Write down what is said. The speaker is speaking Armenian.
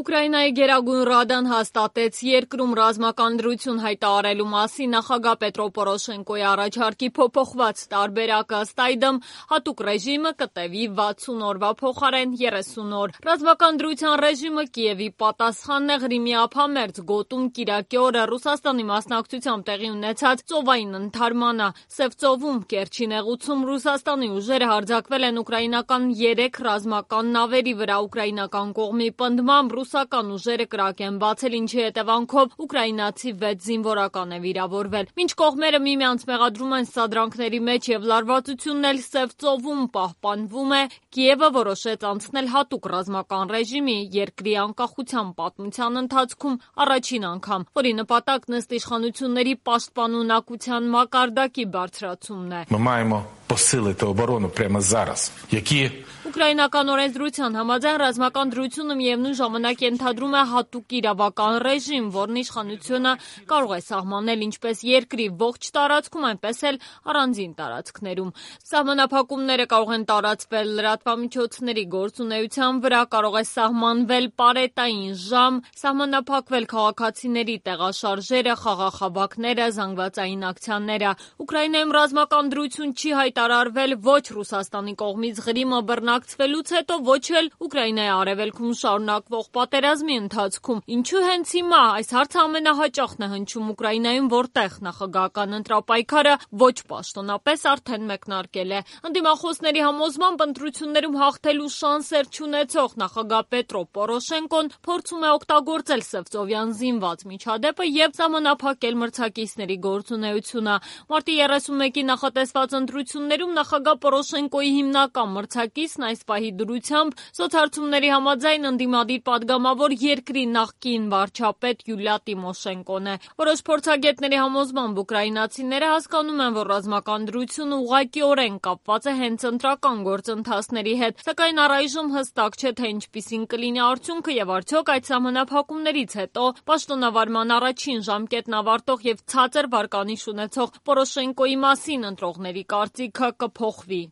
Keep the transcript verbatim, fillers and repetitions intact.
Ուկրաինայի Գերագույն ռադան հաստատեց երկրում ռազմական դրություն հայտարարելու մասին նախագահ Պետրո Պորոշենկոյի առաջարկի փոփոխված տարբերակը, ըստ այդմ հատուկ ռեժիմը կտևի վաթսուն օրվա փոխարեն երեսուն օր։ Ռազմական դրության ռեժիմը Կիևի պատասխանն է Ղրիմի ափամերձ գոտում կիրակի օրը Ռուսաստանի մասնակցությամբ տեղի ունեցած ծովային ընդհարմանը։ Սև ծովում Կերչի նեղուցում Ռուսաստանի ուժերը հարձակվել են ուկրաինական երեք ռազմական նավերի վրա։ Ուկրաինական կողմի պնդմամբ ռուսական ուժերը կրակ են բացել, ինչի հետևանքով ուկրաինացի վեց զինվորական է վիրավորվել։ Մինչ կողմերը միմյանց մեղադրում են սադրանքների մեջ եւ լարվածությունն էլ Սև ծովում պահպանվում է, Կիևը որոշեց անցնել հատուկ ռազմական ռեժիմի երկրի անկախության պատմության ընթացքում առաջին անգամ, որի նպատակն ըստ իշխանությունների պաշտպանունակության մակարդակի բարձրացումն է։ Ми маємо посилити оборону прямо зараз. Які Ուկրաինական օրենսդրության համաձայն ռազմական դրությունը միևնույն ժամանակ ենթադրում է հատուկ իրավական ռեժիմ, որն իշխանությունը կարող է սահմանել ինչպես երկրի ողջ տարածքում, այնպես էլ առանձին տարածքներում։ Սահմանափակումները կարող են տարածվել լրատվամիջոցների գործունեության վրա, կարող է սահմանվել պարետային ժամ, սահմանափակվել քաղաքացիների տեղաշարժերը, խաղաղավակները, զանգվածային ակցիաները։ Ուկրաինայում ռազմական դրություն չի հայտարարվել ոչ Ռուսաստանի կողմից Ղրիմը բռնակցվելուց հետո, ոչ էլ Ուկրաինայի արևելքում շարունակվող պատերազմի ընթացքում։ Ինչու հենց հիմա? Այս հարցը ամենահաճախն է հնչում Ուկրաինայում, որտեղ նախագահական ընտրապայքարը ոչ պաշտոնապես արդեն մեկնարկել է։ Ընդդիմախոսների համոզմամբ ընտրություններում հաղթելու շանսեր չունեցող նախագահ Պետրո Պորոշենկոն փորձում է օգտագործել Սևծովյան զինված միջադեպը եւ սահմանափակել մրցակիցների գործունեությունը։ Մարտի երեսունմեկի նախատեսված ընտրություններում նախագահ Պորոշենկոյի հիմնական մրցակիցն այս պահի դրությամբ սոցհարցումների համաձայն ընդդիմադիր պատգամավոր երկրի նախկին վարչապետ Յուլիա Տիմոշենկոն է։ Որոշ փորձագետների համոզմամբ ուկրաինացիները հասկանում են, որ ռազմական դրությունը ուղղակիորեն կապված է հենց ընտրական գործընթացների հետ, սակայն առայժմ հստակ չէ, թե ինչպիսին կլինի արդյունքը եւ արդյոք այդ սահմանափակումներից հետո պաշտոնավարման առաջին ժամկետն ավարտող եւ ցածր վարկանիշ ունեցող Պորոշենկոյի մասին ընտրողների կարծիքը կփոխվի։